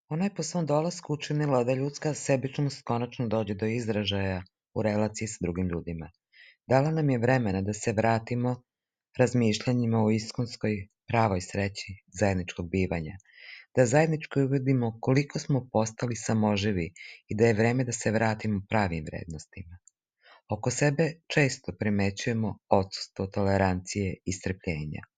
Ona je po svom dolasku učinila da ljudska sebičnost konačno dođe do izražaja u relaciji sa drugim ljudima. Dala nam je vremena da se vratimo razmišljanjima o iskonskoj pravoj sreći zajedničkog bivanja, da zajedničko uvidimo koliko smo postali samoživi i da je vreme da se vratimo pravim vrednostima. Oko sebe često primećujemo odsustvo tolerancije i strpljenja.